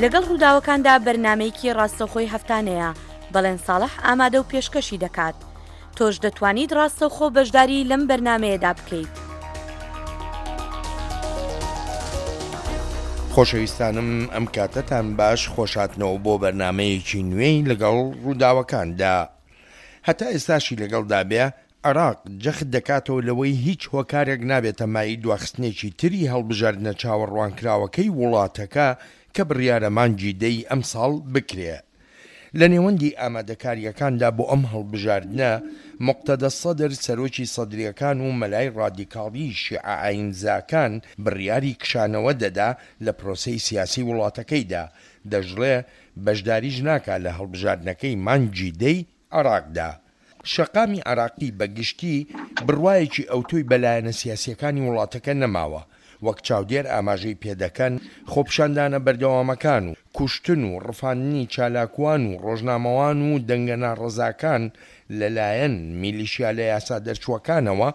لەگەڵ ڕووداوەکاندا بەرنامەیەکی ڕاستەوخۆی هەفتانەیە، بەڵێن ساڵح ئامادە و پێشکەشی دەکات. تۆش دەتوانیت ڕاستەوخۆ بەشداری لەم بەرنامەیەدا بکەیت. خۆشەویستانم ئەم کاتەتان باش خۆشهاتنەوە بۆ بەرنامەیەکی نوێی لەگەڵ ڕووداوەکاندا. هەتا ئێستاشی لەگەڵدا بێ عێراق جەخت دەکاتەوە لەوەی هیچ هۆکارێک نابێتە مایەی دواخستنێکی تری هەڵبژاردنە چاوەڕوانکراوەکەی وڵاتەکە کە بڕیارە مانگی دە ی ئەمساڵ بکرێ. لە نێوەندی ئامادەکارییەکاندا بۆ ئەم هەڵبژاردنە، موقتەدا سەدر سەرۆکی سەدرییەکان و مەلای ڕادیکاڵی شیعە ئایینزاکان بڕیاری کشانەوە دەدا لە پرۆسەی سیاسی وڵاتەکەیدا، دەشڵێ بەشداریش ناکا لە هەڵبژاردنەکەی مانگی دەی عێراقدا. شەقامی عێراقی بە گشتی بڕوایەکی ئەوتۆی بە لایەنە سیاسییەکانی وڵاتەکە نەماوە، وەک چاودێر ئاماژەی پێدەکەن، خۆپیشاندانە بەردەوامەکان و کوشتن و ڕفاندنی چالاکوان و ڕۆژنامەوان و دەنگە ناڕەزاکان لەلایەن میلیشیا لە یاسا دەرچووەکانەوە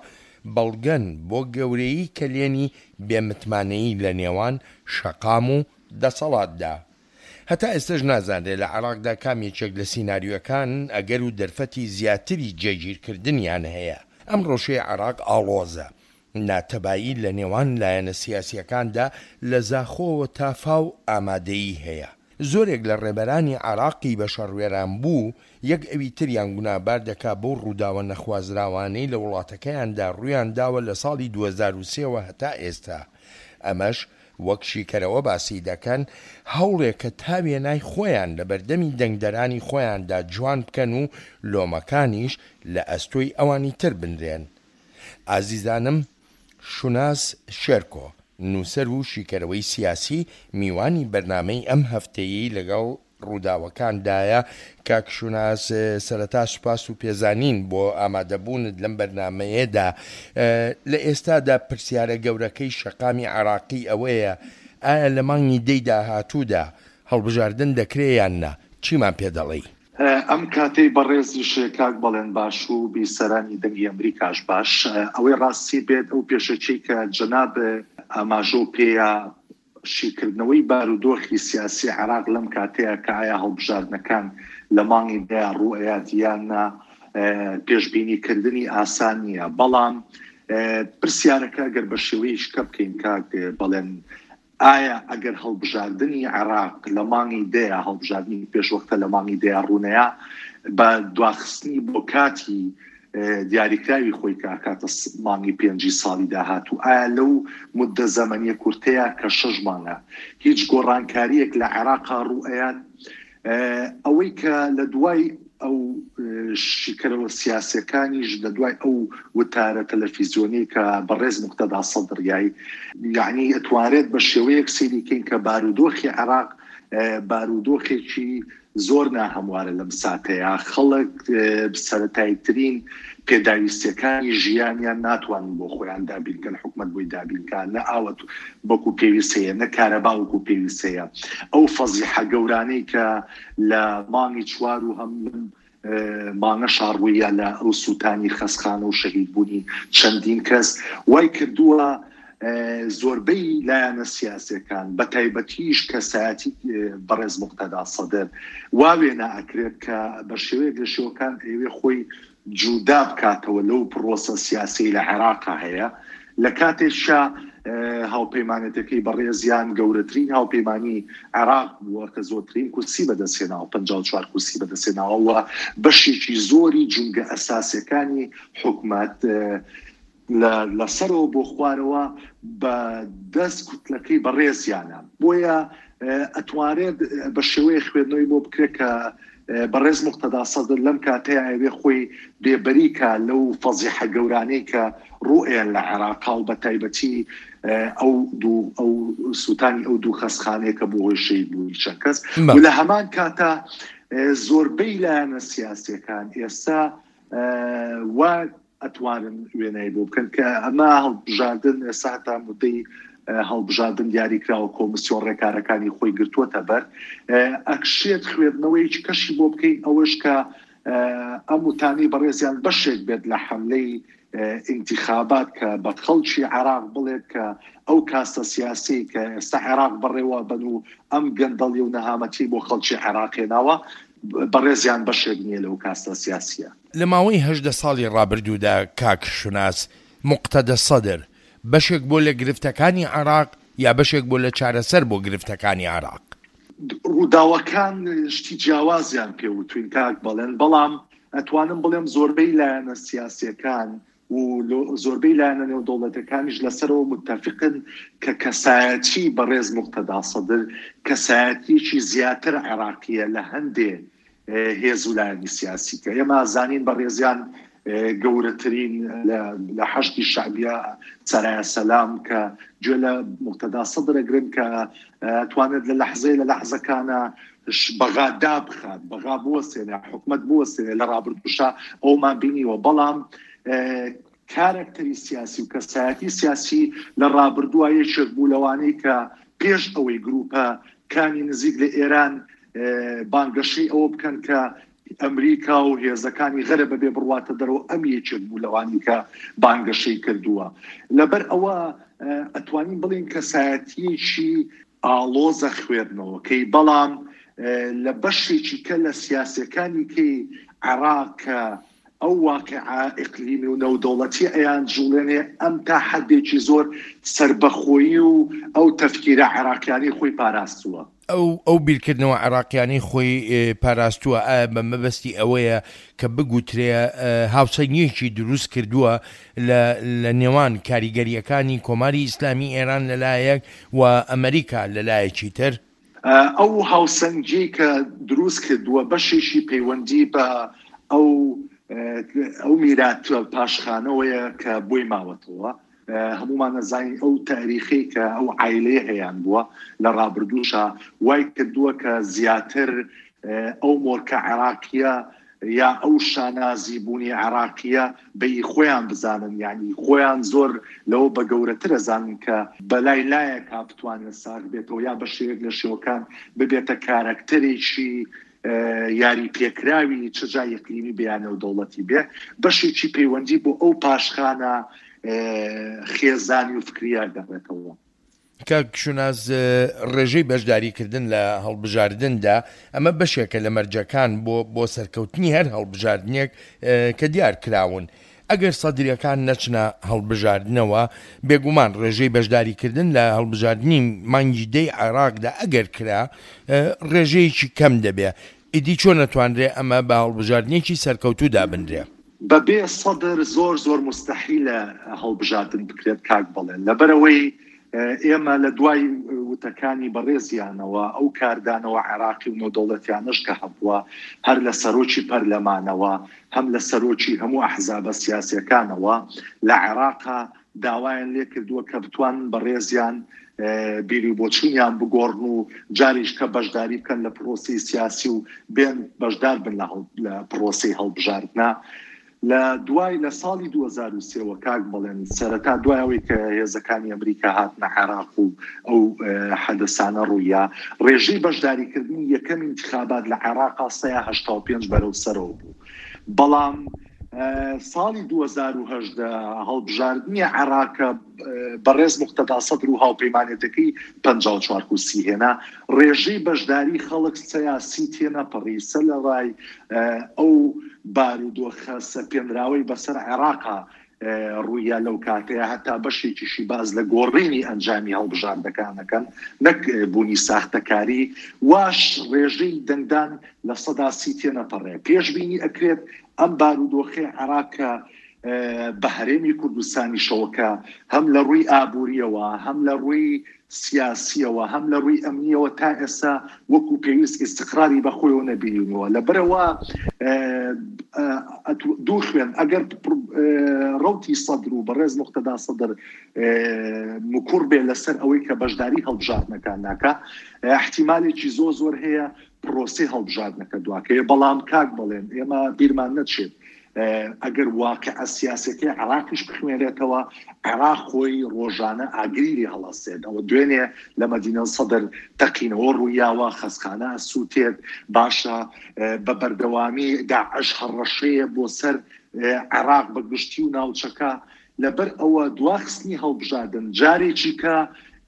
بەڵگەن بۆ گەورەیی کەلێنی بێ متمانەیی لە نێوان شەقام و دەسەڵاتدا. هەتا ئێستەش نازانرێ لە عێراقدا کام یەکێک لە سیناریۆکان ئەگەر و دەرفەتی زیاتری جێگیرکردنیان هەیە. ئەم ڕەوشەی عێراق ئاڵۆزە. ناتەبایی لە نێوان لایەنە سیاسییەکاندا لە زاخۆوە تا فاو ئامادەیی هەیە. زۆرێک لە ڕێبەرانی عێراقی بە شەڕوێرانبوو یەک ئەوی تریان گوناهبار دەکا بەو ڕووداوە نەخوازراوانەی لە وڵاتەکەیاندا ڕوویان داوە لە ساڵی 2003 وە هەتا ئێستا. ئەمەش وەک شیکەرەوە باسی دەکەن، هەوڵێکە تا وێنای خۆیان لە بەردەمی دەنگدەرانی خۆیاندا جوان بکەن و لۆمەکانیش لە ئەستۆی ئەوانی تر بنرێن. ئازیزانم شوناس شێرکۆ، نووسەر و شیکەرەوەی سیاسی، میوانی بەرنامەی ئەم هەفتەیەی لەگەڵ ڕووداوەکاندایە. کاک شوناس سەرەتا سوپاس و پێزانین بۆ ئامادەبوونت لەم بەرنامەیەدا. لە ئێستادا پرسیارە گەورەکەی شەقامی عێراقی ئەوەیە ئایا لە مانگی دەی داهاتوودا هەڵبژاردن دەکرێ یان نا؟ چیمان پێ دەڵێی؟ ئەم کاتەی بەڕێزیش کاک بەڵێن باش و بیسەرانی دەنگی ئەمریکاش باش. ئەوەی ڕاستی بێت ئەو پێشەکیەی کە جەناب ئاماژەو پێیا شیکردنەوەی بارودۆخی سیاسی عێراق لەم کاتەیا کە ئایا هەڵبژاردنەکان لە مانگی دەیا ڕووئەیات یان نا پێشبینی کردنی ئاسان نییە بەڵام پرسیارەکە گەر بە شێوەیەکی کە بکەین کاک بەڵێن ئایا ئەگەر هەڵبژاردنی عێراق لە مانگی دەیا هەڵبژاردنی پێشوەختە لە مانگی دەیا ڕوونەیا بە دواخستنی بۆ کاتی دیاریکراوی خۆی کە ئەکاتە مانگی پێنجی ساڵی داهاتوو، ئایا لەو موددە زەمەنیە کورتەیا کە شەش مانگە هیچ گۆڕانکارییەک لە عێراقا ڕوو ئەیات؟ ئەوەی کە لە دوای ئەو شیکەرەوە سیاسیەکانیش لە دوای ئەو وتارە تەلەفیزیۆنیەی کە بەڕێز موقتەدا سەدر یای یەعنی ئەتوانرێت بە شێوەیەک سەیری کەین کە بارودۆخی عێراق بارودۆخێکی زۆر ناهەموارە لەم ساتەیا، خەڵک سەرەتاییترین پێداویستیەکانی ژیانیان ناتوانن بۆ خۆیان دابین کەن، حکومەت بۆی دابین کا، نە ئاوە وەکو پێویست هەیە، نە کارەبا وەکو پێویست هەیە. ئەو فەزیحە گەورانەی کە لە مانگی چوار و هەم لەم مانگەشا ڕووییا لە ئەو سووتانی خەسخانە و شەهیدبوونی چەندین کەس وای کردووە زۆربەی لایەنە سیاسیەکان بە تایبەتیش کەسایەتی بەڕێز موقتەدا سەدر وا وێنا ئەکرێت کە بە شێوەیەک لە شێوەکان ئەیەوێ خۆی جودا بکاتەوە لەو پڕۆسە سیاسیەی لە عێراقا هەیە لە کاتێکشا هاوپەیمانێتەکەی بەڕێزیان گەورەترین هاوپەیمانی عێراق بووە کە زۆرترین کورسی بەدەستهێناوە 54 کورسی بەدەستهێناوە و بەشێکی زۆری جومگە ئەساسیەکانی حکومەت لە لە سەرەوە بۆ خوارەوە بە دەست کوتلەکەی بەڕێزیانە بۆیە ئەتوانرێت بە شێوەیە خوێندنەوەی بۆ بکرێت کە بەڕێز موقتەدا سەدر لەم کاتەیا ئەوێ خۆی بێبەری کا لەو فەزیحە گەورانەی کە ڕوئەیەن لە عێراقا و بە تایبەتی ئەو دوو ئەو سووتانی ئەو دوو خەسخانەیە کە بۆ هۆی شەهید بوونی چەند کەس و لە هەمان کاتا زۆربەی لایەنە سیاسیەکان ئێستا وا ئەتوانن وێنای بۆ بکەن کە ئەمە هەڵبژاردن ئێستا هەتا مدەی هەڵبژاردن دیاری کراوە کۆمسیۆن ڕێکارەکانی خۆی گرتووەتە بەر ئەکشێت خوێندنەوەیەکی کەشی بۆ بکەین ئەوەش کە ئەم وتانەی بەڕێزیان بەشێک بێت لە حملەی. ئینتیخابات کە بە خەڵکی عێراق بڵێت کە ئەو کاستە سیاسیەی کە ئێستا عێراق بەڕێوە بەن و ئەم گەندەڵی و نەهامەتیەی بۆ خەڵکی عێراق هێناوە بەڕێزیان بەشێک نیە لەو کاستە سیاسیە. لە ماوەی 18 ساڵی ڕابردوودا کاک شوناس موقتەدە سەدر بەشێک بووە لە گرفتەکانی عێراق یا بەشێک بووە لە چارەسەر بۆ گرفتەکانی عێراق؟ ڕووداوەکان شتی جیاوازیان پێ وتوین کاک بەڵێن، بەڵام ئەتوانم بڵێم زۆربەی لایەنە سیاسیەکان و زۆربەی لایەنە نێودەوڵەتەکانیش لەسەرەوە متەفقن کە کەسایەتی بەڕێز موقتەدا سەدر کەسایەتیەکی زیاتر عێراقیە لە هەندێ هێز و لایەنی سیاسی کە ئێمە زانین بەڕێزیان گەورەترین لە حەشدی شەعبیە سەرایا سەلام کە گوێ لە موقتەدا سەدر ئەگرن کە توانێت لە لەحزەی لە لەحزەکانە بەغا دابخات بەغا بوەستێنێ حکومەت بوەستێنێ لە ڕابردووشا ئەومان بینیوە بەڵام کارەکتەری سیاسی و کەسایەتی سیاسی لە ڕابردووە یەکێک بوو لەوانەی کە پێش ئەوەی گروپە کانی نزیک لە ئێران بانگەشەی ئەوە بکەن کە ئەمریکا و هێزەکانی غەرب بەبێ بڕواتە دەرەوە ئەم یەکێک بوو لەوانی کە بانگەشەی کردووە لەبەر ئەوە ئەتوانین بڵێین کەسایەتیەکی ئاڵۆزە خوێندنەوەکەی بەڵام لە بەشێکی کە لە سیاسەکانی کەی عێراق کە ئەو واقیعە ئیقلیمی و نەودەوڵەتیە ئەیان جوڵێنێ ئەم تا حەدێکی زۆر سەربەخۆیی و ئەو تەفکیرە عێراقیانەی خۆی پاراستووە. ئەو ئەو بیرکردنەوە عێراقیانەی خۆی پاراستووە ئایا بە مەبەستی ئەوەیە کە بگوترێ هاوسەنگیەکی دروست کردووە لە لە نێوان کاریگەرییەکانی کۆماری ئیسلامی ئێران لە لایەک و ئەمریکا لە لایەکی تر؟ ئەو هاوسەنگیەی کە دروست کردووە بەشێکی پەیوەندی بە ئەو ئەو میرات پاشخانەوەیە کە بۆی ماوەتەوە. هەموومان ئەزانین ئەو تاریخەی کە ئەو عایلەیە هەیان بووە لە ڕابردووشا وای کردووە کە زیاتر ئەو مۆرکە عێراقیە یا ئەو شانازی بوونی عێراقیە بە ئی خۆیان بزانن یعنی خۆیان زۆر لەوە بە گەورەتر ئەزانن کە بەلای لایەکا بتوانێت ساغ بێتەوە یا بە شێوەیەک لە شێوەکان ببێتە کارەکتەرێکی یاری پێکراوی چ جا ئیقلیمی بێ یا نێودەوڵەتی بێ، بەشێکی پەیوەندی بۆ ئەو پاشخانە خێزانی و فکریە گەڕێتەوە. کاک شوناس ڕێژەی بەشداریکردن لە هەڵبژاردندا ئەمە بەشێکە لە مەرجەکان بۆ بۆ سەرکەوتنی هەر هەڵبژاردنێک کە دیار کراون. ئەگەر سەدرییەکان نەچنە هەڵبژاردنەوە، بێگومان ڕێژەی بەشداریکردن لە هەڵبژاردنی مانگی دەی عێراقدا ئەگەر کرا، ڕێژەیەکی کەم دەبێ. ئیدی چۆن ئەتوانرێ ئەمە بە هەڵبژاردنێکی سەرکەوتوو دابنرێ؟ بەبێ سەدر زۆر زۆر موستەحیلە هەڵبژاردن بکرێت کاک بەڵێن، لەبەرئەوەی ئێمە لە دوای وتەکانی بەڕێزیانەوە ئەو کاردانەوە عێراقی و نێودەوڵەتیانەش کە هەبووە هەر لە سەرۆکی پەرلەمانەوە هەم لە سەرۆکی هەموو ئەحزابە سیاسیەکانەوە لە عێراقا داوایان لێکردووە کە بتوانن بەڕێزیان بیروبۆچوونیان بگۆڕن و جاریش کە بەشداری بکەن لە پرۆسەی سیاسی و بێن بەشدار بن لە پرۆسەی هەڵبژاردنە. لە دوای لە ساڵی 2003 وە کاک بەڵێن سەرەتا دوای ئەوەی کە هێزەکانی ئەمریکا هاتنە عێراق و ئەو حەدەسانە ڕوویا ڕێژەی بەشداریکردنی یەکەم ئینتخابات لە عێراقا 85 بەرەو سەرەوە بوو بەڵام ساڵی 2010 هەڵبژاردنی عێراق بەڕێز موقتەدا سەدر و هاوپەیمانێتەکەی 54 کورسی هێنا ڕێژەی بەشداری خەڵک سەیا سی تێنەپەڕی سەرەڕای ئەو بارودۆخە سەپێنراوەی بەسەر عێراقا ڕوویا لەو کاتەیە هەتا بەشێکیشی باس لە گۆڕینی ئەنجامی هەڵبژاردەکان ئەکەن نەک بوونی ساختەکاری واش ڕێژەی دەنگدان 30% تێنەپەڕێ پێشبینی ئەکرێت ئەم بارودۆخەی عێراق کە بە هەرێمی کوردستانیشەوە کە هەم لە ڕووی ئابوورییەوە، هەم لە ڕووی سیاسییەوە، هەم لە ڕووی ئەمنییەوە تا ئێستا وەکوو پێویست ئیستقراری بە خۆیەوە نەبینیوە. لەبەرئەوە دوو خوێن ئەگەر ڕەوتی سەدر و بەڕێز موقتەدا سەدر مکوڕ بێ لەسەر ئەوەی کە بەشداری هەڵبژاردنەکان ناکا، ئیحتیمالێکی زۆر زۆر هەیە پڕۆسەی هەڵبژاردنەکە دواکەوێ. بەڵام کاک بەڵێن ئێمە بیرمان نەچێت ئەگەر واقیعە سیاسیەکەی عێراقیش بخوێنرێتەوە، عێراق خۆی ڕۆژانە ئاگری لێ هەڵەسێت، ئەوە دوێنێ لە مەدینە سەدر تەقینەوە ڕوویاوە، خەسخانە ئەسووتێت، باشە بە بەردەوامی داعش هەڕەشەیە بۆ سەر. عێراق بە گشتی و ناوچەکە، لەبەر ئەوە دواخستنی هەڵبژاردن جارێکی کە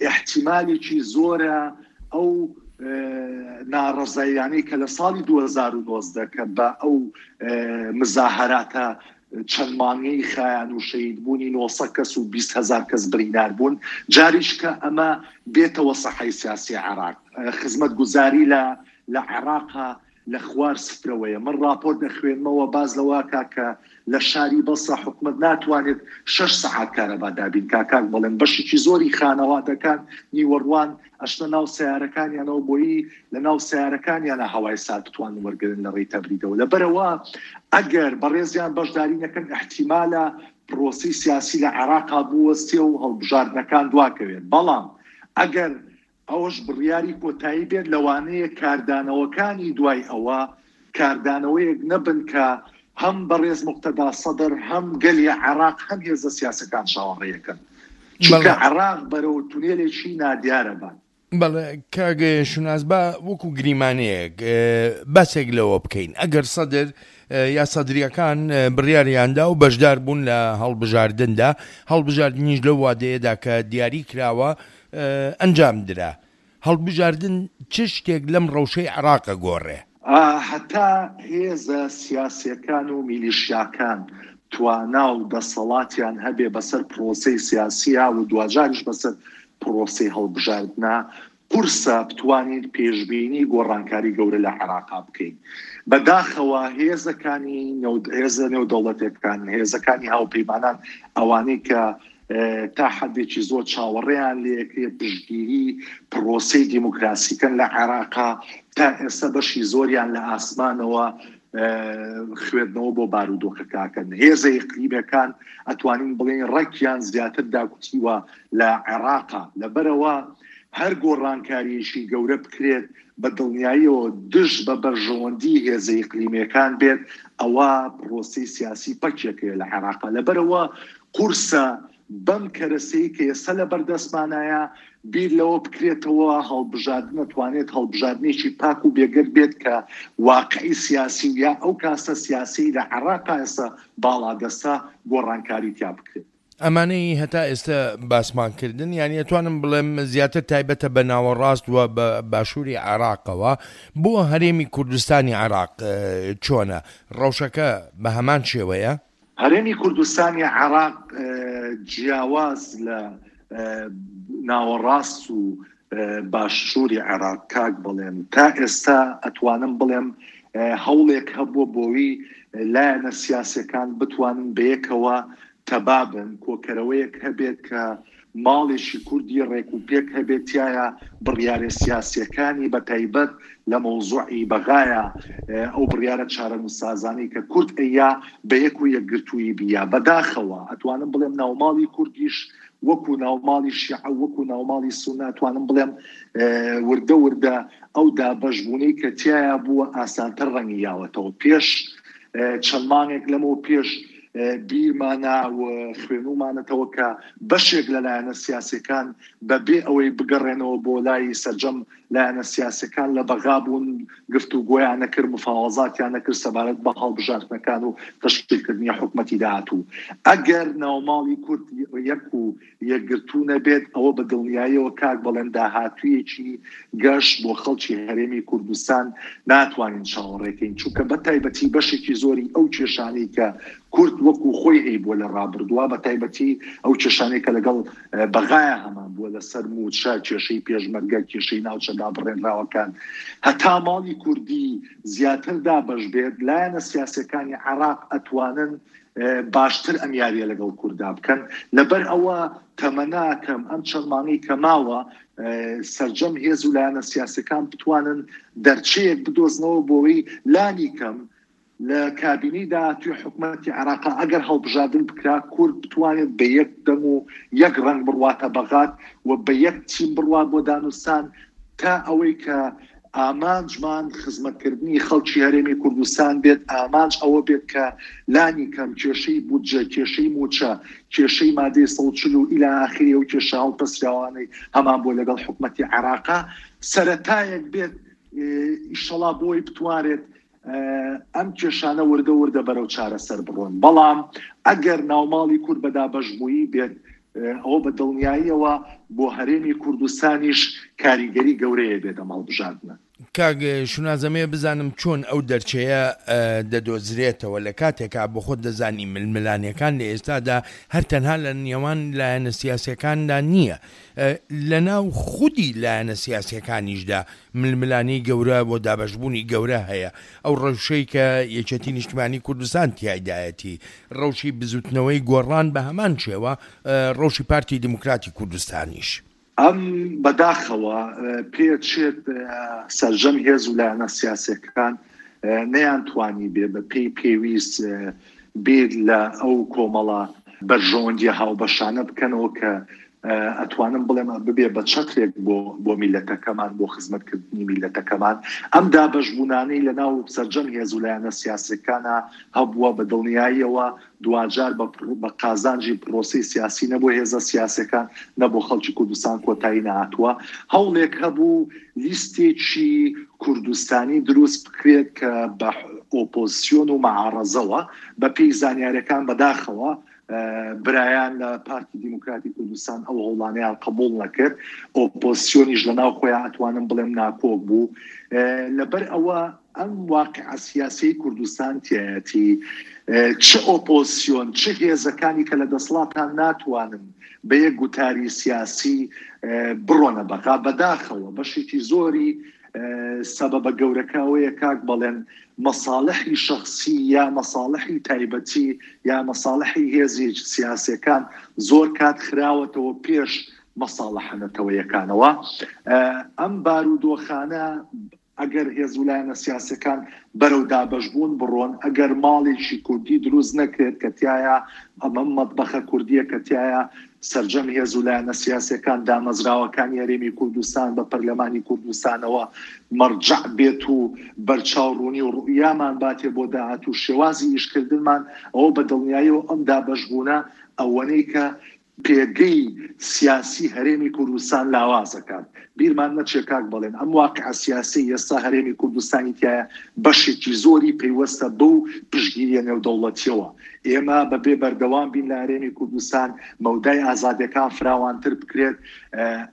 ئیحتیمالێکی زۆرە ئەو ناڕەزاییانەی کە لە ساڵی 2019 کە بە ئەو مزاهەراتە چەند مانگەی خایان و شەهید بوونی 900 کەس و 20 هەزار کەس بریندار بوون جاریش کە ئەمە بێتەوە سەحەی سیاسی عێراق خزمەتگوزاری لە لە عێراقا لە خوار سفرەوەیە. من ڕاپۆرت ئەخوێنمەوە باس لەوە ئەکا کە لە شاری بەسرە حکومەت ناتوانێت شەش سەعات کارەبا دابین کا. کاک بەڵێن بەشێکی زۆری خانەوادەکان نیوەڕوان ئەچنە ناو سەیارەکانیانەوە بۆیی لە ناو سەیارەکانیانا هەوای سارد بتوانن وەرگرن لە ڕێی تەبریدەوە. لەبەرئەوە ئەگەر بەڕێزیان بەشداری نەکەن ئیحتیمالە پرۆسەی سیاسی لە عێراقا بوەستێ و هەڵبژاردنەکان دواکەوێت. بەڵام ئەگەر ئەوەش بڕیاری کۆتایی بێت، لەوانەیە کاردانەوەکانی دوای ئەوە کاردانەوەیەک نەبن کە هەم بەڕێز موقتەدا سەدر، هەم گەلی عێراق، هەم هێزە سیاسەکان چاوەڕێیەکەن، چونکە عێراق بەرەو تونێلێکی نادیارە بات. بەڵێ کاک شوناس با وەکو گریمانەیەک باسێک لەوە بکەین ئەگەر سەدر یا سەدریەکان بڕیاریاندا و بەشدار بوون لە هەڵبژاردندا هەڵبژاردنیش لەو وادەیەدا کە دیاری کراوە ئەنجام درا. هەڵبژاردن چ شتێک لەم ڕەوشەی عێراق ئەگۆڕێ؟ هەتا هێزە سیاسیەکان و میلیشیاکان توانا و دەسەڵاتیان هەبێ بەسەر پرۆسەی سیاسیا و دواجاریش بەسەر پرۆسەی هەڵبژاردنا، قورسە بتوانین پێشبینی گۆڕانکاری گەورە لە عێراقا بکەین. بەداخەوە هێزەکانی هێزە نێودەوڵەتیەکان، هێزەکانی هاوپەیمانان ئەوانەی کە تا حەدێکی زۆر چاوەڕێیان لێکرێ پشتگیری پڕۆسەی دیموکراسی کەن لە عێراقا، تا ئێستا بەشی زۆریان لە ئاسمانەوە خوێندنەوە بۆ بارودۆخەکە ئەکەن. هێزە ئیقلیمەکان ئەتوانین بڵێین ڕەگیان زیاتر داکوتیوە لە عێراقا، لەبەرئەوە هەر گۆڕانکارییەکی گەورە بکرێت بە دڵنیاییەوە دژ بە بەرژەوەندی هێزە ئیقلیمییەکان بێت، ئەوا پڕۆسەی سیاسی پەکێکەیە لە عێراقا. لەبەرئەوە قورسە بەم کەرەسەی کە ئێستا لەبەردەستمانایە بیر لەوە بکرێتەوە هەڵبژاردن ئەتوانێت هەڵبژاردنێکی پاک و بێگەرد بێت کە واقعی سیاسی و یا ئەو کاستە سیاسیەی لە عێراقا ئێستا باڵادەستە گۆڕانکاری تیا بکرێت. ئەمانەی هەتا ئێستە باسمان کردن یانی ئەتوانم بڵێم زیاتر تایبەتە بە ناوەڕاست و بە باشووری عێراقەوە بۆ هەرێمی کوردستانی عێراق چۆنە ڕەوشەکە بە هەمان شێوەیە؟ هەرێمی کوردستانی عێراق جیاواز لە ناوەڕاست و باشووری عێراق کاک بەڵێن تا ئێستا ئەتوانم بڵێم هەوڵێک هەبووە بۆوی لایەنە سیاسەکان بتوانن بەیەکەوە تەبا بن، کۆکەرەوەیەک هەبێت کە ماڵێکی کوردی ڕێک و پێک هەبێت تیایا بڕیارە سیاسیەکانی بە تایبەت لە مەوزوعی بەغایا ئەو بڕیارە چارەنووسسازانەی کە کورد ئەیا بە یەک و یەکگرتوویی بییا. بەداخەوە ئەتوانم بڵێم ناوماڵی کوردیش وەکو ناوماڵی شیعە و وەکو ناوماڵی سوننە ئەتوانم بڵێم وردە وردە ئەو دابەشبوونەی کە تیایا بووە ئاسانتر ڕەنگی یاوەتەوە. پێش چەند مانگێک لەمەو پێش بیرمانە و خوێنومانەتەوە کە بەشێک لە لایەنە سیاسیەکان بە بێ ئەوەی بگەڕێنەوە بۆ لای سەرجەم لایەنە سیاسیەکان لە بەغا بوون گفتوگۆیان نەکرد مفاوەزاتیان نەکرد سەبارەت بە هەڵبژاردنەکان و تەشکیلکردنی حکومەتی داهاتوو. ئەگەر ناوماڵی کورد یەک و یەکگرتوو نەبێت، ئەوە بە دڵنیاییەوە کاک بەڵێن داهاتوویەکی گەش بۆ خەڵکی هەرێمی کوردستان ناتوانین چاوەڕێ کەین، چونکە بە تایبەتی بەشێکی زۆری ئەو کێشانەی کە کورد وەکو خۆی هەیبووە لە ڕابردووە، بە تایبەتی ئەو کێشانەی کە لەگەڵ بەغایا هەمان بووە لەسەر مووچە، کێشەی پێشمەرگە، کێشەی ناوچە دابڕێنراوەکان، هەتا ماڵی کوردی زیاتر دابەش بێت، لایەنە سیاسیەکانی عێراق ئەتوانن باشتر ئەم یاریە لەگەڵ کوردا بکەن لەبەر ئەوە تەمەناکەم ئەم چەند مانگەی کە ماوە سەرجەم هێز و لایەنە سیاسەکان بتوانن دەرچەیەک بدۆزنەوە بۆی لانی کەم لە کابینەی داهاتوی حکومەتی عێراقا ئەگەر هەڵبژاردن بکرا کورد بتوانێت بە یەک دەنگ و یەک ڕەنگ بڕواتە بەغات و بە یەک تیم بڕوات بۆ دانوستان تا ئەوەی کە ئامانجمان خزمەتکردنی خەڵکی هەرێمی کوردستان بێت، ئامانج ئەوە بێت کە لانی کەم کێشەی بودجە، کێشەی مووچە، کێشەی مادەی 140 و ئیلا ئاخری ئەو کێشە هەڵپەسراوانەی هەمان بووە لەگەڵ حکومەتی عێراقا سەرەتایەک بێت ئیشەڵا بۆی بتوانرێت. ئەم کێشانە وردە وردە بەرەو چارەسەر بڕۆن. بەڵام ئەگەر ناوماڵی کورد بە دابەشبوویی بێت، ئەوە بە دڵنیاییەوە بۆ هەرێمی کوردستانیش کاریگەری گەورەیە بێت ئەم هەڵبژاردنە. کاک شوناس ئەمەوێ بزانم چۆن ئەو دەرچەیە دەدۆزرێتەوە لە کاتێکا بۆخۆت دەزانی ململانێکان لە ئێستادا هەر تەنها لە نێوان لایەنە سیاسیەکاندا نییە لە ناو خودی لایەنە سیاسیەکانیشدا ململانێی گەورە بۆ دابەشبوونی گەورە هەیە ئەو ڕەوشەی کە یەکێتی نیشتمانی کوردستان تیایدایەتی ڕەوشی بزوتنەوەی گۆڕان بە هەمان شێوە ڕەوشی پارتی دیموکراتی کوردستانیش. ئەم بەداخەوە پێچێت سەرجەم هێز و لایەنە سیاسیەکان نەیانتوانیبێ بە پێی پێویست بیر لە ئەو کۆمەڵە بەرژەوەندیە هاوبەشانە بکەنەوە کە ئەتوانم بڵێم ببێ بە چەترێک بۆ بۆ میلەتەکەمان بۆ خزمەتکردنی میلەتەکەمان ئەم دابەشبوونانەی لە ناو سەرجەم هێز و لایەنە سیاسەکانە هەبووە بە دڵنیاییەوە دواجار بە بە قازانجی پرۆسەی سیاسی نە بۆ هێزە سیاسەکان نە بۆ خەڵکی کوردستان کۆتایی نەهاتووە. هەوڵێک هەبوو لیستێکی کوردستانی دروست بکرێت کە بە ئۆپۆزسیۆن و مەعارەزەوە، بە پێی زانیارەکان بەداخەوە برایان لە پارتی دیموکراتی کوردستان ئەو هەوڵانەیان قبوڵ نەکرد، ئۆپۆزسیۆنیش لە ناو خۆیان ئەتوانم بڵێم ناکۆک بوو. لەبەر ئەوە ئەم واقیعە سیاسیەی کوردستان تیایەتی، چ ئۆپۆزسیۆن چ هێزەکانی کە لە دەسڵاتان ناتوانن بە یەک گوتاری سیاسی بڕۆنە بەغا، بەداخەوە بەشێکی زۆری سەبەبە گەورەکە ئەوەیە کاک بەڵێن مەساڵحی شەخسی یا مەساڵحی تایبەتی یا مەساڵحی هێزی سیاسیەکان زۆر کات خراوەتەوە پێش مەساڵحە نەتەوەیەکانەوە. ئەم بارودۆخانە ئەگەر هێز و لایەنە سیاسیەکان بەرەو دابەشبوون بڕۆن، ئەگەر ماڵێکی کوردی دروست نەکرێت کە تیایا ئەمە مەتبەخە کوردیە کە تیایا سەرجەم هێز و لایەنە سیاسیەکان دامەزراوەکانی هەرێمی کوردستان بە پەرلەمانی کوردستانەوە مەرجەع بێت و بەرچاو ڕوونی و ڕوئیامان باتێ بۆ داهاتوو شێوازی ئیشکردنمان ئەوە بە دڵنیاییەوە ئەم دابەشبوونە ئەوەنەی کە پێگەی سیاسی هەرێمی کوردستان لاواز ئەکات. بیرمان نەچێ کاک بەڵێن ئەم واقیعە سیاسیەی ئێستا هەرێمی کوردستانی تیایە بەشێکی زۆری پەیوەستە بەو پشتگیریە نێودەوڵەتیەوە. ئێمە بەبێ بەردەوام بین لە هەرێمی کوردستان مەودای ئازادیەکان فراوانتر بکرێت،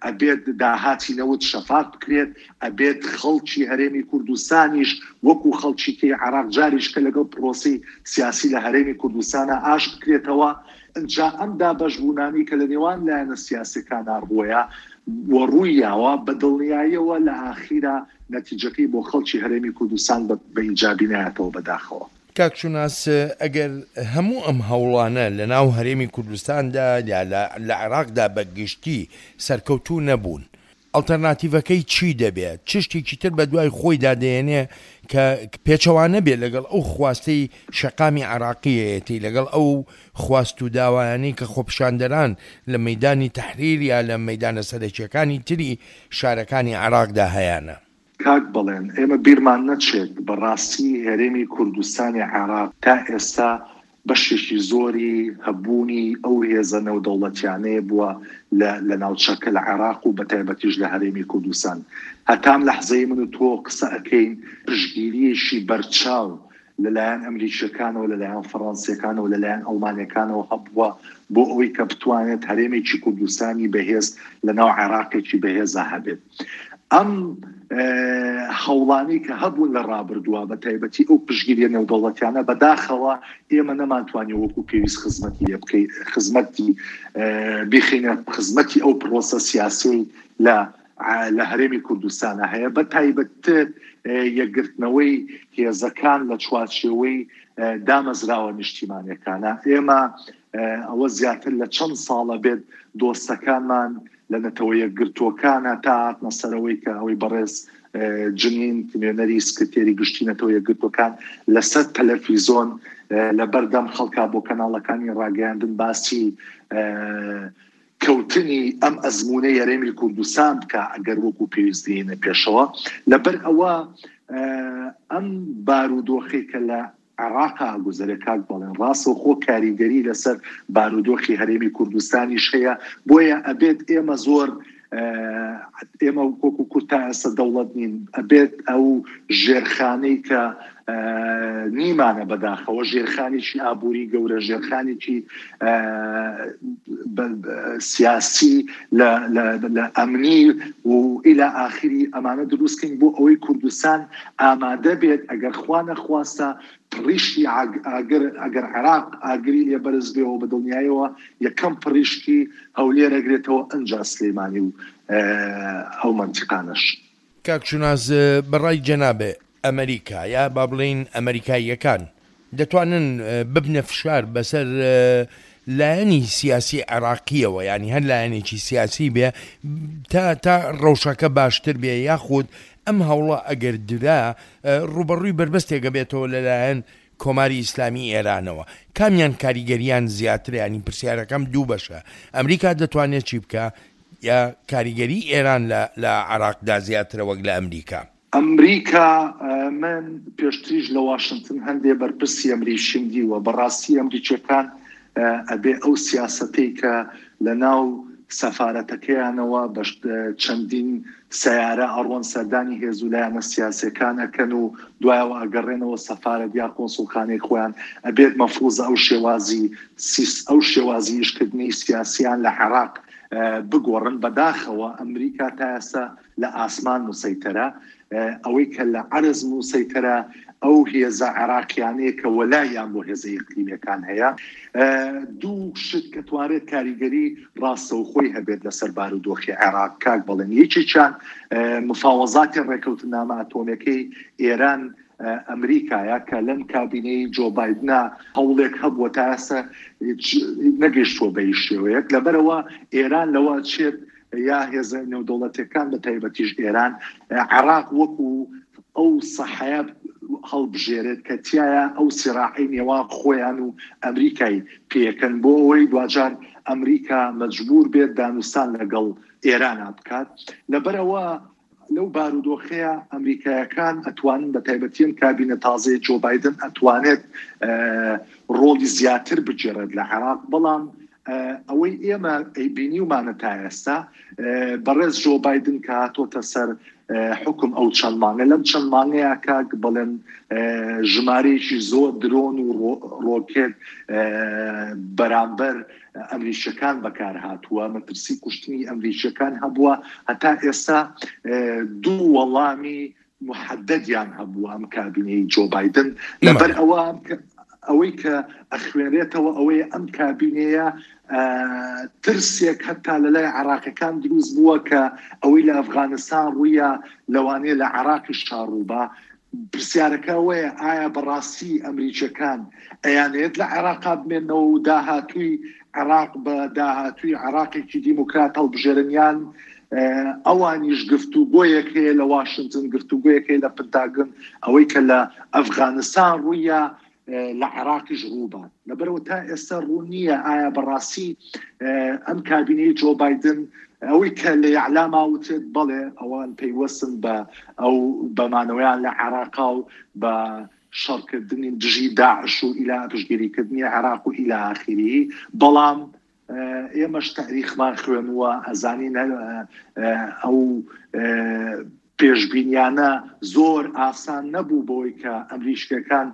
ئەبێت داهاتی نەوت شەفاف بکرێت، ئەبێت خەڵکی هەرێمی کوردستانیش وەکو خەڵکی کەی عێراق جاریشکە لەگەڵ پرۆسەی سیاسی لە هەرێمی کوردستانا ئاش بکرێتەوە. ئنجا ئەم دابەشبوونانەی کە لە نێوان لایەنە سیاسیەکانا ڕووەیا و ڕوویاوە، بە دڵنیاییەوە لە ئاخیرا نەتیجەکەی بۆ خەڵکی هەرێمی کوردستان بە بە ئیجابی نایەتەوە بەداخەوە. کاک شوناس ئەگەر هەموو ئەم هەوڵانە لە ناو هەرێمی کوردستاندا یا لە لە عێراقدا بە گشتی سەرکەوتوو نەبوون، ئەڵتەرناتیڤەکەی چی دەبێ؟ چ شتێکی تر بە دوای خۆیدا دەیەنێ کە پێچەوانە بێ لەگەڵ ئەو خواستەی شەقامی عێراقییەتی، لەگەڵ ئەو خواست و داوایانەی کە خۆپیشاندەران لە مەیدانی تەحریر یا لە مەیدانە سەرەکییەکانی تری شارەکانی عێراقدا هەیانە؟ کاک بەڵێن، ئێمە بیرمان نەچێت بە ڕاستی هەرێمی کوردستانی عێراق تا ئێستا بەشێکی زۆری هەبوونی ئەو هێزە نێودەوڵەتیانەیە بووە لە لە ناوچەکە لە عێراق و بەتایبەتیش لە هەرێمی کوردستان. هەتا ئەم لەحزەی من و تۆ قسە ئەکەین پشتگیرییەکی بەرچاو لە لایەن ئەمریکییەکانەوە، لە لایەن فەڕەنسییەکانەوە، لە لایەن ئەڵمانییەکانەوە هەبووە بۆ ئەوەی کە بتوانێت هەرێمێکی کوردستانی بەهێز لە ناو عێراقێکی بەهێزا هەبێت. ئەم هەوڵانەی کە هەبوون لە ڕابردووە بە تایبەتی ئەو پشتگیریە نێودەوڵەتیانە بەداخەوە ئێمە نەمانتوانی وەکو پێویست خزمەتی لێ بکەین خزمەتی بیخینە خزمەتی ئەو پرۆسە سیاسی لە لە هەرێمی کوردستانە هەیە بە تایبەتتر یەکگرتنەوەی هێزەکان لە چوارچێوەی دامەزراوە نیشتیمانەکانە ئێمە ئەوە زیاتر لە چەند ساڵە بێت دۆستەکانمان لە نەتەوە یەکگرتووەکانە تا هاتنە سەرەوەی کە ئەوەی بەڕێز جنین نوێنەری سکرتێری گشتی نەتەوە یەکگرتووەکان لەسەر تەلەفیزۆن لە بەردەم خەڵکا بۆ کەناڵەکانی ڕاگەیاندن باسی کەوتنی ئەم ئەزموونەی هەرێمی کوردستان بکە ئەگەر وەکو پێویست دێنە پێشەوە لەبەر ئەوە ئەم بارودۆخی کە لە عێراقا ئەگوزەرێ کاک بەڵێن ڕاستەوخۆ کاریگەری لەسەر بارودۆخی هەرێمی کوردستانیش هەیە بۆیە ئەبێت ئێمە زۆر ئێمە وەکو کورد تا ئێستا دەوڵەت نین ئەبێت ئەو ژێرخانەی کە. نیمانە بەداخەوە ژێرخانێکی ئابووری گەورە ژێرخانێکی سیاسی لە ئەمنی و ئیلا ئاخری ئەمانە دروستکەین بۆ ئەوەی کوردستان ئامادە بێت ئەگەر خوا نەخواستە پڕیشکی ئاگر ئەگەر عێراق ئاگری لێ بەرز بێەوە بە دڵنیایەوە یەکەم پڕیشکی هەولێر ئەگرێتەوە ئەنجا سلێمانی و ئەو مەنتیقانەش. کاک شوناس بە ڕای جەنابێ ئەمریکا یا با بڵێین ئەمریکاییەکان دەتوانن ببنە فشار بەسەر لایەنی سیاسی عێراقیەوە یانی هەر لایەنێکی سیاسی بێ تا تا ڕەوشەکە باشتر بێ یاخود ئەم هەوڵە ئەگەر درا ڕووبەڕووی بەربەستێک ئەبێتەوە لەلایەن کۆماری ئیسلامی ئێرانەوە کامیان کاریگەریان زیاترە یانی پرسیارەکەم دوو بەشە ئەمریکا دەتوانێت چی بکا یا کاریگەری ئێران لە لە عێراقدا زیاترە وەک لە ئەمریکا؟ ئەمریکا من پێشتریش لە واشنتن هەندێ بەرپرسی ئەمریکیم دیوە بەڕاستی ئەمریکیەکان ئەبێ ئەو سیاسەتەی کە لە ناو سەفارەتەکەیانەوە بە چەندین سەیارە ئەڕۆن سەردانی هێزو لایەنە سیاسیەکان ئەکەن و دوایەوە ئەگەڕێنەوە سەفارەت یا کۆنسوڵخانەی خۆیان ئەبێت مەفروزە ئەو شێوازی ئەو شێوازی ئیشکردنی سیاسیان لە عێراق بگۆڕن بەداخەوە ئەمریکا تا ئێستا لە ئاسمان موسەیتەرە، ئەوەی کە لە عەرز موسەیتەرە ئەو هێزە عێراقیانەیە کە وەلایان بۆ هێزە ئیقلیمیەکان هەیە. دوو شت کە توانرێت کاریگەری ڕاستەوخۆی هەبێت لەسەر بارودۆخی عێراق کاک بەڵێن، یەکێکیان مفاوەزاتی ڕێکەوتنامە ئەتۆمیەکەی ئێران ئەمریکایە کە لەم کابینەی جۆ بایدنا هەوڵێک هەبووە تا ئێستا نەگەیشتووە بە هیچ شێوەیەک، لەبەرئەوە ئێران لەوە ئەچێت یا هێزە نێودەوڵەتیەکان بە تایبەتیش ئێران عێراق وەکو ئەو سەحەیە هەڵبژێرێت کە تیایا ئەو سیراعەی نێوان خۆیان و ئەمریکای پێکەن بۆ ئەوەی دواجار ئەمریکا مەجبور بێت دانوستان لەگەڵ ئێرانا بکات لەبەرئەوە لەو بارودۆخەیە ئەمریکایەکان ئەتوانن بە تایبەتی ئەم کابینە تازەیە جۆ بایدن ئەتوانێت ڕۆڵی زیاتر بگێڕێت لە عێراق بەڵام ئەوەی ئێمە بینیومانە تا ئێستا بەڕێز جۆ بایدن کە هاتۆتە سەر حکم ئەو چەند مانگە لەم چەند مانگەیە کاک بڵێن ژمارەیەکی زۆر درۆن و ڕۆکێت بەرامبەر ئەمریکیەکان بەکار هاتووە، مەترسی کوشتنی ئەمریکیەکان هەبووە، هەتا ئێستا دوو وەڵامی محەدەدیان هەبووە ئەم کابینەی جۆ بایدن، لەبەر ئەوە ئەوەی کە ئەخوێنرێتەوە ئەوەیە ئەم کابینەیە ترسێک هەتا لە لای عێراقیەکان دروست بووە کە ئەوەی لە ئەفغانستان ڕوویە لەوانەیە لە عێراقیش ڕووبا، پرسیارەکە ئەوەیە ئایا بەڕاستی ئەمریکیەکان ئەیانەوێت لە عێراقا بمێنەوە و داهاتووی عێراق بە داهاتووی عێراقێکی دیموکرات هەڵبژێرن یان ئەوانیش گفتوگۆیەک هەیە لە واشنتن گفتوگۆیەک هەیە لە پنتاگن ئەوەی کە لە ئەفغانستان ڕوویە لە عێراقیش ڕووبات لەبەرەوە تا ئێستا ڕوون نییە ئایا بەڕاستی ئەم کابینەی جۆ بایدن ئەوەی کە لە یعلاما وتێت بەڵێ ئەوان پەیوەستن بە ئەو بەمانەوەیان لە عێراقا و بە شەڕکردنی دژی داعش و ئیلا پشتگیریکردنی عێراق و ئیلا ئاخیری بەڵام ئێمەش تاریخمان خوێنووە ئەزانین ئەو پێشبینیانە زۆر ئاسان نەبوو بەوەی کە ئەمریکیەکان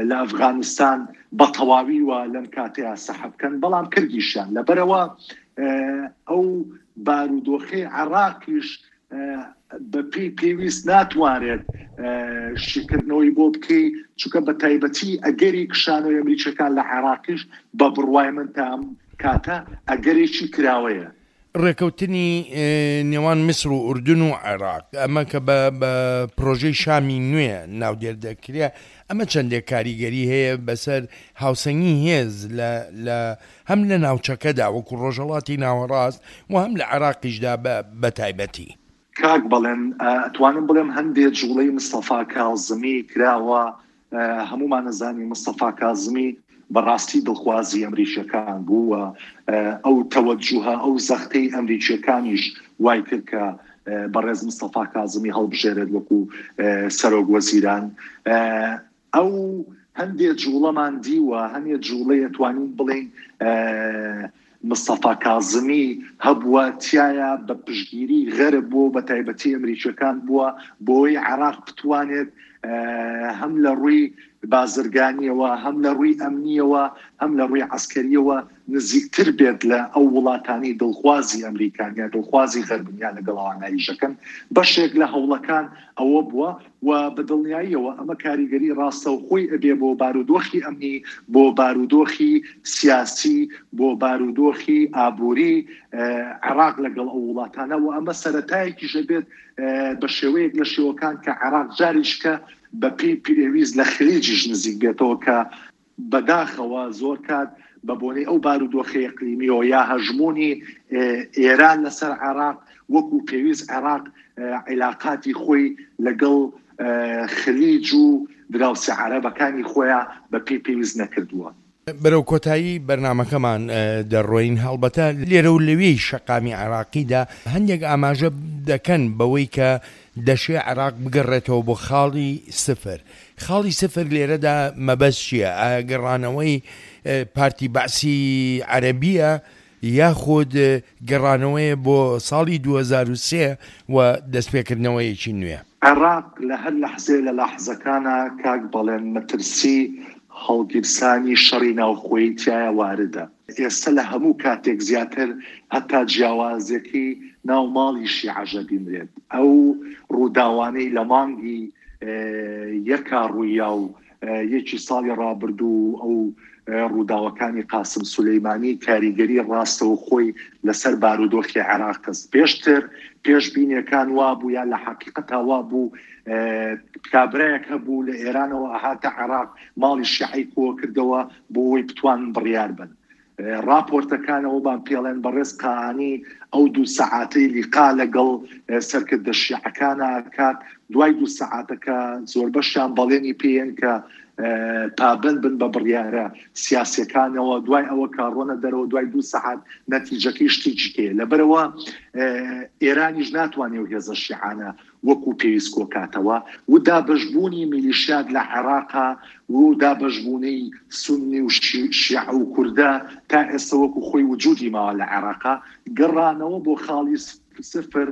لە ئەفغانستان بە تەواوی وە لەم کاتەیە سەحب بکەن بەڵام کردیشیان لەبەرەوە ئەو بارودۆخەی عێراقیش بە پێی پێویست ناتوانرێت شیکردنەوەی بۆ بکەی چونکە بە تایبەتی ئەگەری کشانەوەی ئەمریکیەکان لە عێراقیش بە بڕوای من تا ئەم کاتە ئەگەرێکی کراوەیە. ڕێکەوتنی نێوان میسر و ئوردن و عێراق، ئەمە کە بە بە پرۆژەی شامی نوێ ناودێر دەکرێ، ئەمە چەندێک کاریگەری هەیە بەسەر هاوسەنگی هێز لە لە هەم لە ناوچەکەدا وەکو ڕۆژهەڵاتی ناوەڕاست و هەم لە عێراقیشدا بە بە تایبەتی؟ کاک بەڵێن، ئەتوانم بڵێم هەندێ جوڵەی مستەفا کازمی کراوە هەموومان ئەزانین مستەفا کازمی بە ڕاستی دڵخوازی ئەمریکیەکان بوو و ئەو تەوەجوهە ئەو زەختەی ئەمریکیەکانیش وای کرد کە بەڕێز مستەفا کازمی هەڵبژێرێت وەکو سەرۆک وەزیران. ئەو هەندێ جوڵەمان دیوە هەنێ جوڵەی ئەتوانین بڵێین. مستەفا کازمی هەبووە تیایا بە پشتگیری غەرب بووە و بە تایبەتی ئەمریکیەکان بووە بۆی عێراق بتوانێت هەم لە ڕووی بازرگانیەوە هەم لە ڕووی ئەمنیەوە هەم لە ڕووی عەسکەریەوە نزیکتر بێت لە ئەو وڵاتانەی دڵخوازی ئەمریکان یا دڵخوازی غەربن یا لەگەڵ ئەوانە ئیشەکەن بەشێک لە هەوڵەکان ئەوە بووە و بە دڵنیاییەوە ئەمە کاریگەری ڕاستەوخۆی ئەبێ بۆ بارودۆخی ئەمنی، بۆ بارودۆخی سیاسی، بۆ بارودۆخی ئابووری عێراق لەگەڵ ئەو وڵاتانە و ئەمە سەرەتایەکیش ئەبێت بە شێوەیەک لە شێوەکان کە عێراق جاریشکە بە پێی پێویست لە خلیجیش نزیک بێتەوە کە بەداخەوە زۆر کات بە بۆنەی ئەو بارودۆخی ئیقلیمیەوە یا هەژموونی ئێران لەسەر عێراق وەکو پێویست عێراق عیلاقاتی خۆی لەگەڵ خلیج و دراوسێ عەرەبەکانی خۆیا بە پێی پێویست نەکردووە. بەرەو کۆتایی بەرنامەکەمان دەڕۆین، هەڵبەتە لێرە و لەوێی شەقامی عێراقیدا هەندێک ئاماژە دەکەن بەوەی کە دەشێ عێراق بگەڕێتەوە بۆ خاڵی سفر، خاڵی سفر لێرەدا مەبەست چییە؟ ئایا گەڕانەوەی پارتی بەعسی عەرەبییە یاخود گەڕانەوەیە بۆ ساڵی 2003 و دەستپێکردنەوەیەکی نوێ؟ عێراق لە هەر لەحزەیە لە لەحزەکانا کاک بەڵێن مەترسی هەڵگیرسانی شەڕی ناوخۆیی تیایا واردە. ئێستە لە هەموو کاتێک زیاتر هەتا جیاوازیەکەی ناو ماڵی شیعەش ئەبینرێت. ئەو ڕووداوانەی لە مانگی یەکا ڕوویا و یەکی ساڵی ڕابردوو و ئەو ڕووداوەکانی قاسم سولەیمانی کاریگەری ڕاستەوخۆی لەسەر بارودۆخی عێراق خست. پێشتر پێشبینیەکان وابوو یا لە حەقیقەتا وابوو کابرایەک هەبوو لە ئێرانەوە ئەهاتە عێراق ماڵی شیعەی کۆکردەوە بۆ ئەوەی بتوانن بڕیار بەن. ڕاپۆرتەکان ئەوەمان پێڵێن بەڕێز قائانی ئەو دوو سەعاتەی لیقا لەگەڵ سەرکردە شیعەکانا ئەکات، دوای دوو سەعاتەکە زۆربەشیان بەڵێنی پێیەن کە پابەند بن بە بڕیارە سیاسیەکانەوە، دوای ئەوە کە ڕۆنە دەرەوە دوای دوو سەعات نەتیجەکەی شتێکی کەیە. لەبەرئەوە ئێرانیش ناتوانێ ئەو هێزە شیعانە وەکو پێویست کۆکاتەوە و دابەشبوونی میلیشیات لە عێراقا و دابەشبوونەی سوننی و شیعە و کوردە تا ئێستا وەکو خۆی وجودی ماوە لە عێراقا، گەڕانەوە بۆ خاڵی سفر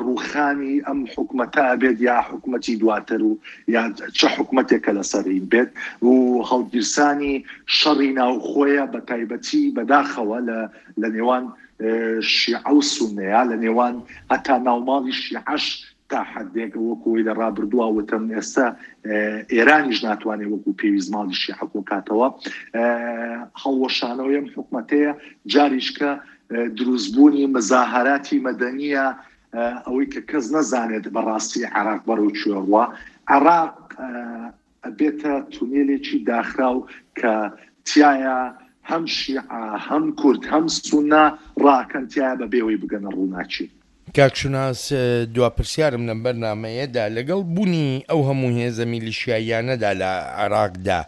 ڕووخانی ئەم حکومەتە ئەبێت یا حکومەتی دواتر و یا چ حکومەتێک کە لەسەری بێت و هەڵگیرسانی شەڕی ناوخۆیە بە تایبەتی بەداخەوە لە نێوان شیعە و سوننەیە لە نێوان هەتا ناوماڵی شیعەش تا حەدێک وەکو ئەوەی لە ڕابردووە وتم ئێستا ئێرانیش ناتوانێت وەکو پێویست ماڵی شیعە کۆکاتەوە هەڵوەشانەوەی ئەم حکومەتەیە جاریشکە دروستبوونی مزاهەراتی مەدەنیە ئەوەی کە کەس نەزانێت بەڕاستی عێراق بەرەو کوێ ڕوا عێراق ئەبێتە تونێلێکی داخراو کە تیایا هەم شیعە هەم کورد هەم سونە ڕاکەن تیایا بە بێ ئەوەی بگەنە ڕووناکی. کاک شوناس دوا پرسیارم لەم بەرنامەیەدا لەگەڵ بونی ئەو هەموو هێزە میلیشیاییانەدا لە عێراقدا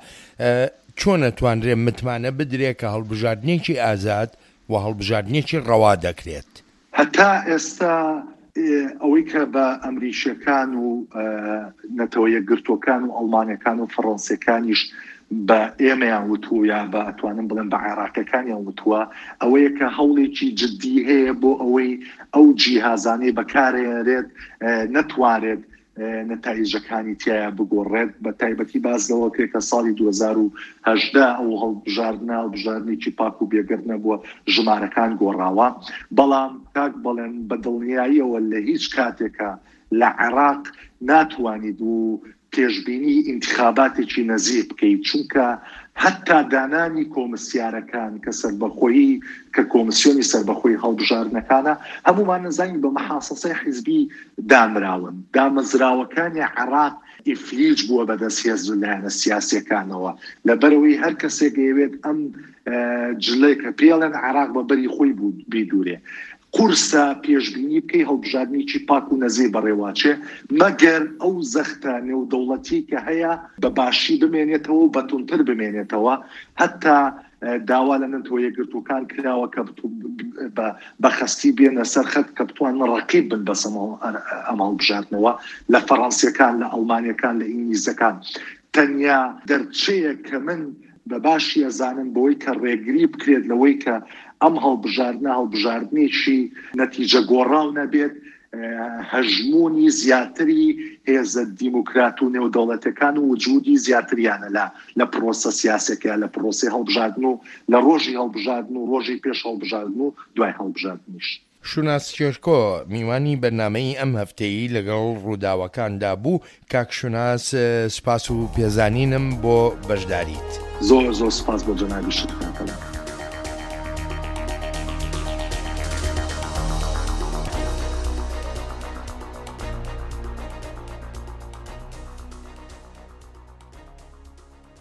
چۆن ئەتوانرێ متمانە بدرێ کە هەڵبژاردنێکی ئازاد و هەڵبژاردنێکی ڕەوا دەکرێت؟ هەتا ئێستا ئەوەی کە بە ئەمریکییەکان و نەتەوە یەکگرتووەکان و ئەڵمانەکان و فەڕەنسیەکانیش بە ئێمەیان وتووە یا بە ئەتوانم بڵێم بە عێراقیەکانیان وتووە ئەوەیە کە هەوڵێکی جدی هەیە بۆ ئەوەی ئەو جیهازانەی بەکارێنرێت نەتوانرێت نەتایجەکانی تیایا بگۆڕێت، بە تایبەتی باس لەوە کرێت کە ساڵی 2018 ئەو هەڵبژاردنە هەڵبژاردنێکی پاک و بێگەرد نەبووە، ژمارەکان گۆڕاوە، بەڵام کاک بەڵێن بە دڵنیاییەوە لە هیچ کاتێکا لە عێراق ناتوانیت و پێشبینی ئینتخاباتێکی نەزیه بکەیت، چونکە هەتا دانانی کۆمسیارەکان کە سەربەخۆیی کە کۆمسیۆنی سەربەخۆی هەڵبژاردنەکانە، هەموومان نەزانین بە مەحاسەسەی حیزبی دانراون. دامەزراوەکانی عێراق ئیفلیج بووە بەدەست هێز و لایەنە سیاسیەکانەوە، لەبەرئەوەی هەر کەسێک ئەیەوێت ئەم جلەی کە پێی ئەڵێن عێراق بە بەری خۆی بیدورێ. قورسە پێشبینی بکەی هەڵبژاردنێکی پاک و نەزیه بەڕێوەچێ، مەگەر ئەو زەختە نێودەوڵەتیەی کە هەیە بە باشی بمێنێتەوە و بە توندتر بمێنێتەوە، هەتا داوا لە نەتەوە یەکگرتووەکان کراوە کە بە خەستی بێنە سەر خەت کە بتوانن ڕەقیب بن بەسەر ئەم هەڵبژاردنەوە لە فەڕەنسیەکان، لە ئەڵمانیەکان، لە ئینگلیزەکان. تەنیا دەرچەیەک کە من بە باشی ئەزانم بەوەی کە ڕێگری بکرێت لەوەی کە. ئەم هەڵبژاردنە هەڵبژاردنێکی نەتیجە گۆڕاو نەبێت، هەژموونی زیاتری هێزە دیموکرات و نێودەوڵەتەکان و وجودی زیاتریانە لە لە پرۆسە سیاسەکە لە پرۆسەی هەڵبژاردن و لە ڕۆژی هەڵبژاردن و ڕۆژی پێش هەڵبژاردن و دوای هەڵبژاردنیش. شوناس شێرکۆ میوانی بەرنامەی ئەم هەفتەی لەگەڵ ڕووداوەکاندا بوو، کاک شوناس سوپاس و پێزانینم بۆ بەشداریت. زۆر زۆر سوپاس بۆ جەنابیشت کاک ئەلان.